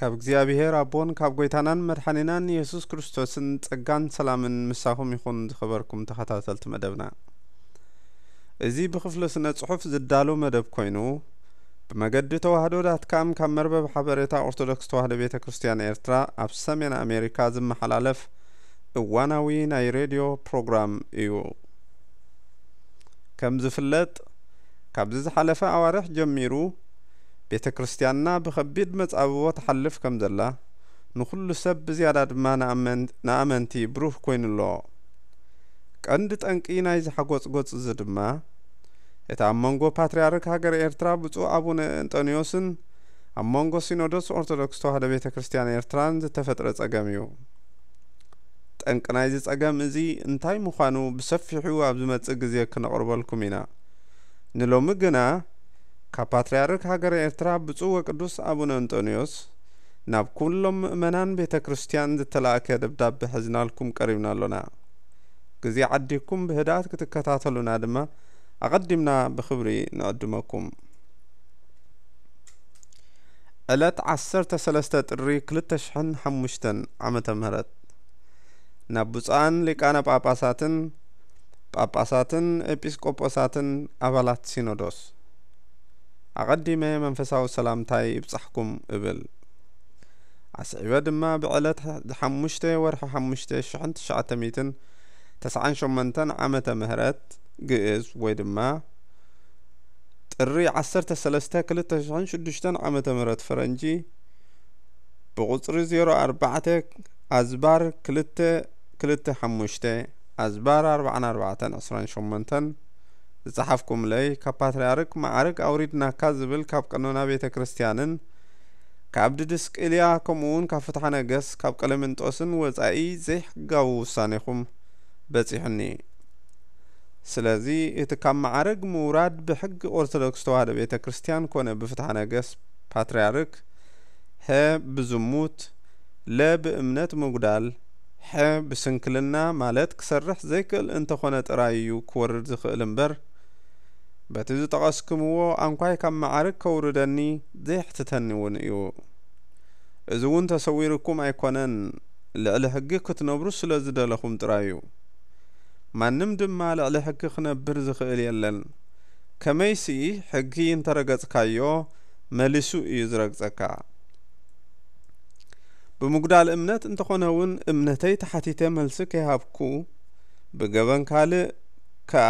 ካብ እግዚኣብሔር ኣቦን ካብ ጐይታናን መድሓኒናን የሱስ ክርስቶስን ጸጋን ሰላምን ምሳኹም ይኹን። ዝኸበርኩም ተኸታተልቲ መደብና፣ እዚ ብኽፍሊ ስነ ጽሑፍ ዝዳሎ መደብ ኮይኑ፣ ብመገዲ ተዋህዶ ዳት ካም ካብ መርበብ ሓበሬታ ኦርቶዶክስ ተዋህዶ ቤተ ክርስቲያን ኤርትራ ኣብ ሰሜን ኣሜሪካ ዝመሓላለፍ እዋናዊ ናይ ሬድዮ ፕሮግራም እዩ። ከም ዝፍለጥ፣ ካብዚ ዝሓለፈ ኣዋርሕ ጀሚሩ ቤተ ክርስቲያንና ብኸቢድ መጻብቦ ትሓልፍ ከም ዘላ፣ ንኹሉ ሰብ ብዝያዳ ድማ ንኣመን-፣ ንኣመንቲ ብሩህ ኮይኑ ኣሎ። ቀንዲ ጠንቂ ናይዚ ሓጎጽጎጽ እዚ ድማ፣ እቲ ኣብ መንጎ ፓትርያርክ ሃገረ ኤርትራ ብፁዕ ኣቡነ እንጠንዮስን ኣብ መንጎ ሲኖዶስ ኦርቶዶክስ ተዋህዶ ቤተ ክርስቲያን ኤርትራን ዝተፈጥረ ጸገም እዩ። ጠንቂ ናይዚ ጸገም እዚ እንታይ ምዃኑ ብሰፊሑ ኣብ ዝመጽእ ግዜ ክነቕርበልኩም ኢና። ንሎሚ ግና፣ ካብ ፓትርያርክ ሃገረ ኤርትራ ብፁዕ ወቅዱስ ኣቡነ እንጠንዮስ ናብ ኩሎም ምእመናን ቤተ ክርስቲያን ዝተላእከ ደብዳቤ ሒዝናልኩም ቀሪብና ኣሎና። ግዜ ዓዲግኩም ብህድኣት ክትከታተሉና ድማ ኣቐዲምና ብኽብሪ ንዕድመኩም። ዕለት ዓሰርተ ሰለስተ ጥሪ ክልተ ሽሕን ሓሙሽተን ዓመተ ምህረት፣ ናብ ብፁዓን ሊቃነ ጳጳሳትን ጳጳሳትን ኤጲስቆጶሳትን ኣባላት ሲኖዶስ ኣቐዲመ መንፈሳዊ ሰላምታይ ይብጻሕኩም እብል። ኣስዒበ ድማ ብዕለት ሓሙሽተ ወርሒ ሓሙሽተ ሽሕን ትሽዓተ ሚእትን ተስዓን ሸሞንተን ዓመተ ምህረት ግእዝ ወይ ድማ ጥሪ ዓሰርተ ሰለስተ ክልተ ሽሕን ሽዱሽተን ዓመተ ምህረት ፈረንጂ ብቁጽሪ ዜሮ ኣርባዕተ ኣዝባር ክልተ ክልተ ሓሙሽተ ኣዝባር ኣርባዓን ኣርባዕተን ዕስራን ሸሞንተን ዝጸሓፍኩምለይ፣ ካብ ፓትርያርክ መዓርግ ኣውሪድናካ ዝብል ካብ ቀኖና ቤተ ክርስቲያንን ካብ ድድስቅልያ ከምኡ እውን ካብ ፍትሐ ነገስ ካብ ቀለምንጦስን ወጻኢ ዘይሕጋዊ ውሳኔኹም በጺሑኒ። ስለዚ እቲ ካብ መዓርግ ምውራድ ብሕጊ ኦርቶዶክስ ተዋህዶ ቤተ ክርስቲያን ኮነ ብፍትሐ ነገስ ፓትርያርክ፣ ሀ ብዝሙት፣ ለ ብእምነት ምጉዳል፣ ሐ ብስንክልና ማለት ክሰርሕ ዘይክእል እንተኾነ ጥራይ እዩ ክወርድ ዝኽእል እምበር፣ በቲ ዝጠቐስክምዎ ኣንኳይ ካብ መዓርግ ከውርደኒ ዘየሕትተኒ እውን እዩ። እዚ እውን ተሰዊርኩም ኣይኮነን፣ ልዕሊ ሕጊ ክትነብሩ ስለ ዝደለኹም ጥራይ እዩ። ማንም ድማ ልዕሊ ሕጊ ክነብር ዝኽእል የለን። ከመይሲ ሕጊ እንተረገጽካዮ መሊሱ እዩ ዝረግጸካ። ብምጉዳል እምነት እንተኾነ እውን እምነተይ ተሓቲተ መልሲ ከይሃብኩ፣ ብገበን ካልእ ከኣ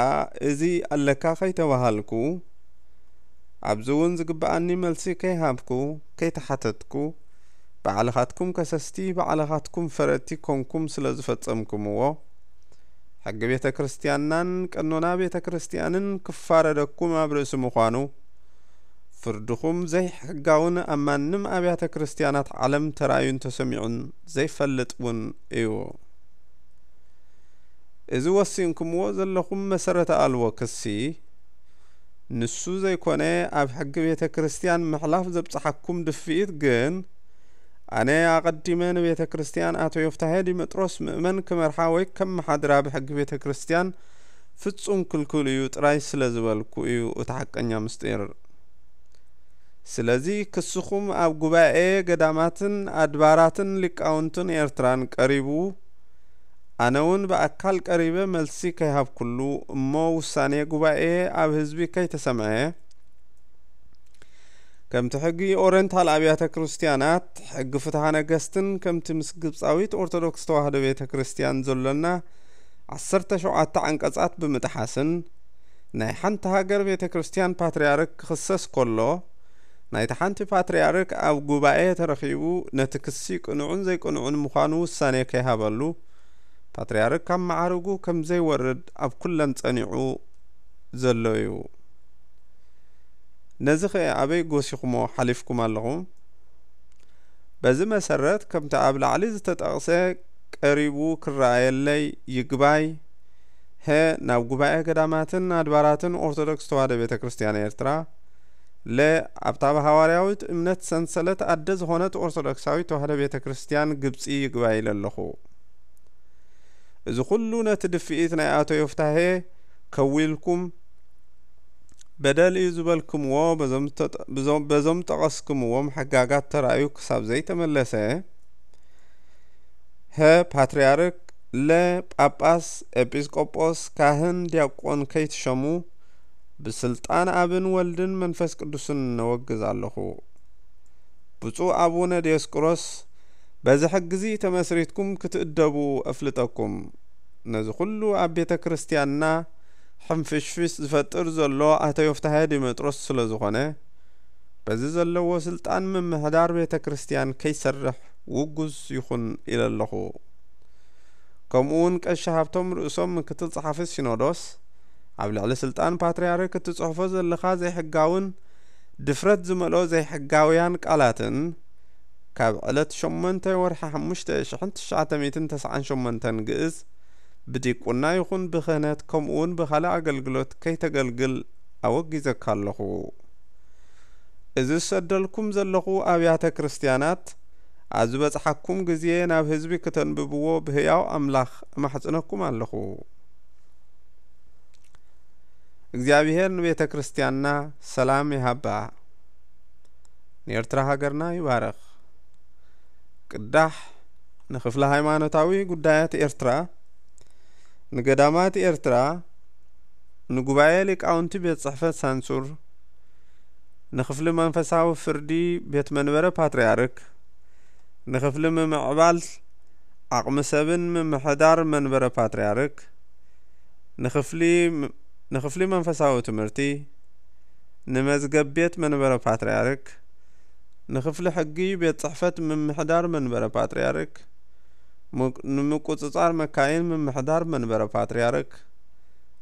እዚ ኣለካ ከይተባሃልኩ፣ ኣብዚ እውን ዝግብኣኒ መልሲ ከይሃብኩ፣ ከይተሓተትኩ፣ ባዕልኻትኩም ከሰስቲ፣ ባዕልኻትኩም ፈረድቲ ኮንኩም ስለ ዝፈጸምኩምዎ፣ ሕጊ ቤተ ክርስቲያንናን ቀኖና ቤተ ክርስቲያንን ክፋረደኩም ኣብ ርእሲ ምዃኑ፣ ፍርድኹም ዘይሕጋውን ኣብ ማንም ኣብያተ ክርስቲያናት ዓለም ተራእዩን ተሰሚዑን ዘይፈልጥ እውን እዩ። እዚ ወሲንኩምዎ ዘለኹም መሰረተ ኣልቦ ክሲ፣ ንሱ ዘይኮነ ኣብ ሕጊ ቤተ ክርስቲያን ምሕላፍ ዘብጽሓኩም ድፍኢት ግን፣ ኣነ ኣቐዲመ ንቤተ ክርስቲያን ኣቶ ዮፍታሄ ዲመጥሮስ ምእመን ክመርሓ ወይ ከመሓድራ ብሕጊ ቤተ ክርስቲያን ፍጹም ክልኩል እዩ ጥራይ ስለ ዝበልኩ እዩ እቲ ሓቀኛ ምስጢር። ስለዚ ክስኹም ኣብ ጉባኤ ገዳማትን ኣድባራትን ሊቃውንትን ኤርትራን ቀሪቡ፣ ኣነ እውን ብኣካል ቀሪበ መልሲ ከይሃብኩሉ እሞ ውሳኔ ጉባኤ ኣብ ህዝቢ ከይተሰምዐ፣ ከምቲ ሕጊ ኦረንታል ኣብያተ ክርስቲያናት፣ ሕጊ ፍትሐ ነገስትን ከምቲ ምስ ግብጻዊት ኦርቶዶክስ ተዋህዶ ቤተ ክርስቲያን ዘሎና ዓሰርተ ሸውዓተ ዓንቀጻት ብምጥሓስን ናይ ሓንቲ ሃገር ቤተ ክርስቲያን ፓትርያርክ ክኽሰስ ከሎ፣ ናይቲ ሓንቲ ፓትርያርክ ኣብ ጉባኤ ተረኺቡ ነቲ ክሲ ቅኑዕን ዘይቅኑዕን ምዃኑ ውሳኔ ከይሃበሉ፣ ፓትርያርክ ካብ መዓርጉ ከም ዘይወርድ ኣብ ኩለን ጸኒዑ ዘሎ እዩ። ነዚ ኸ ኣበይ ጎሲኹሞ ሓሊፍኩም ኣለኹም? በዚ መሰረት፣ ከምቲ ኣብ ላዕሊ ዝተጠቕሰ ቀሪቡ ክረኣየለይ ይግባይ፣ ሀ፣ ናብ ጉባኤ ገዳማትን ኣድባራትን ኦርቶዶክስ ተዋህዶ ቤተ ክርስቲያን ኤርትራ፣ ለ፣ ኣብታ ብሃዋርያዊት እምነት ሰንሰለት ኣደ ዝኾነት ኦርቶዶክሳዊት ተዋህዶ ቤተ ክርስቲያን ግብጺ ይግባይ ኢለ ኣለኹ። እዚ ኩሉ ነቲ ድፍኢት ናይ ኣቶ ዮፍታሄ ከዊልኩም፣ በደል እዩ ዝበልክምዎ በዞም ተጠ-፣ ብዞም-፣ በዞም ጠቐስክምዎም ሕጋጋት ተራእዩ ክሳብ ዘይተመለሰ፣ ሀ ፓትርያርክ፣ ለ ጳጳስ፣ ኤጲስቆጶስ፣ ካህን፣ ዲያቆን ከይትሸሙ ብስልጣን ኣብን ወልድን መንፈስ ቅዱስን ነወግዝ ኣለኹ። ብፁዕ ኣቡነ ዲዮስቆሮስ፣ በዚ ሕጊዚ ተመስሪትኩም ክትእደቡ እፍልጠኩም። ነዚ ኩሉ ኣብ ቤተ ክርስቲያንና ሕንፍሽፍሽ ዝፈጥር ዘሎ ኣቶ ዮፍታሄ ዲሜጥሮስ ስለ ዝኾነ፣ በዚ ዘለዎ ስልጣን ምምሕዳር ቤተ ክርስቲያን ከይሰርሕ ውጉዝ ይኹን ኢለ ኣለኹ። ከምኡ እውን ቀሺ ሃብቶም ርእሶም ምክትል ጸሓፊ ሲኖዶስ፣ ኣብ ልዕሊ ስልጣን ፓትርያርክ እትጽሕፎ ዘለኻ ዘይሕጋውን ድፍረት ዝመልኦ ዘይሕጋውያን ቃላትን፣ ካብ ዕለት ሸሞንተ ወርሒ ሓሙሽተ ሽሕን ትሽዓተ ሚእትን ተስዓን ሸሞንተን ግእዝ ብዲቁና ይኹን ብክህነት ከምኡ እውን ብኻልእ ኣገልግሎት ከይተገልግል ኣወጊዘካ ኣለኹ። እዚ ዝሰደልኩም ዘለኹ ኣብያተ ክርስቲያናት ኣብ ዝበጽሓኩም ግዜ ናብ ህዝቢ ክተንብብዎ ብህያው ኣምላኽ እማሕጽነኩም ኣለኹ። እግዚኣብሔር ንቤተ ክርስቲያንና ሰላም ይሃባ፣ ንኤርትራ ሃገርና ይባርኽ። ቅዳሕ ንክፍሊ ሃይማኖታዊ ጉዳያት ኤርትራ፣ ንገዳማት ኤርትራ፣ ንጉባኤ ሊቃውንቲ ቤት ጽሕፈት ሳንሱር፣ ንክፍሊ መንፈሳዊ ፍርዲ ቤት መንበረ ፓትርያርክ፣ ንክፍሊ ምምዕባል ዓቕሚ ሰብን ምምሕዳር መንበረ ፓትርያርክ፣ ንክፍሊ፣ ንክፍሊ መንፈሳዊ ትምህርቲ፣ ንመዝገብ ቤት መንበረ ፓትርያርክ፣ ንክፍሊ ሕጊ ቤት ጽሕፈት ምምሕዳር መንበረ ፓትርያርክ፣ ምቅ-፣ ንምቁጽጻር መካይን ምምሕዳር መንበረ ፓትርያርክ፣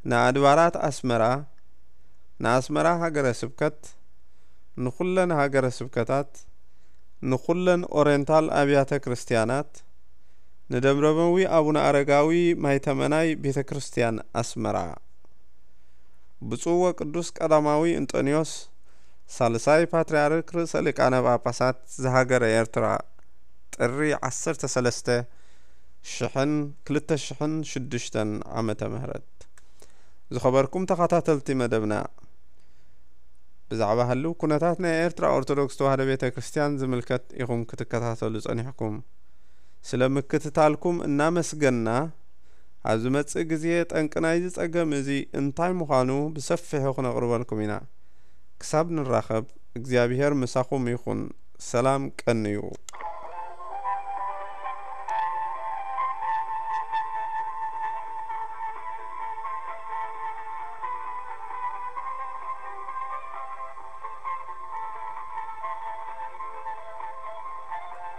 ንኣድባራት ኣስመራ፣ ንኣስመራ ሃገረ ስብከት፣ ንኹለን ሃገረ ስብከታት፣ ንኹለን ኦሬንታል ኣብያተ ክርስቲያናት፣ ንደብረመዊ ኣቡነ ኣረጋዊ ማይተመናይ ቤተ ክርስቲያን ኣስመራ። ብፁዕ ወቅዱስ ቀዳማዊ እንጦንዮስ ሳልሳይ ፓትርያርክ ርእሰ ሊቃነ ጳጳሳት ዝሃገረ ኤርትራ፣ ጥሪ ዓሰርተ ሰለስተ ሽሕን ክልተ ሽሕን ሽዱሽተን ዓመተ ምህረት። ዝኸበርኩም ተኸታተልቲ መደብና፣ ብዛዕባ ህልው ኩነታት ናይ ኤርትራ ኦርቶዶክስ ተዋህዶ ቤተ ክርስቲያን ዝምልከት ኢኹም ክትከታተሉ ጸኒሕኩም። ስለ ምክትታልኩም እናመስገንና፣ ኣብ ዝመጽእ ግዜ ጠንቂ ናይዚ ጸገም እዚ እንታይ ምዃኑ ብሰፊሑ ክነቕርበልኩም ኢና። ክሳብ ንራኸብ፣ እግዚኣብሔር ምሳኹም ይኹን። ሰላም ቀንዩ።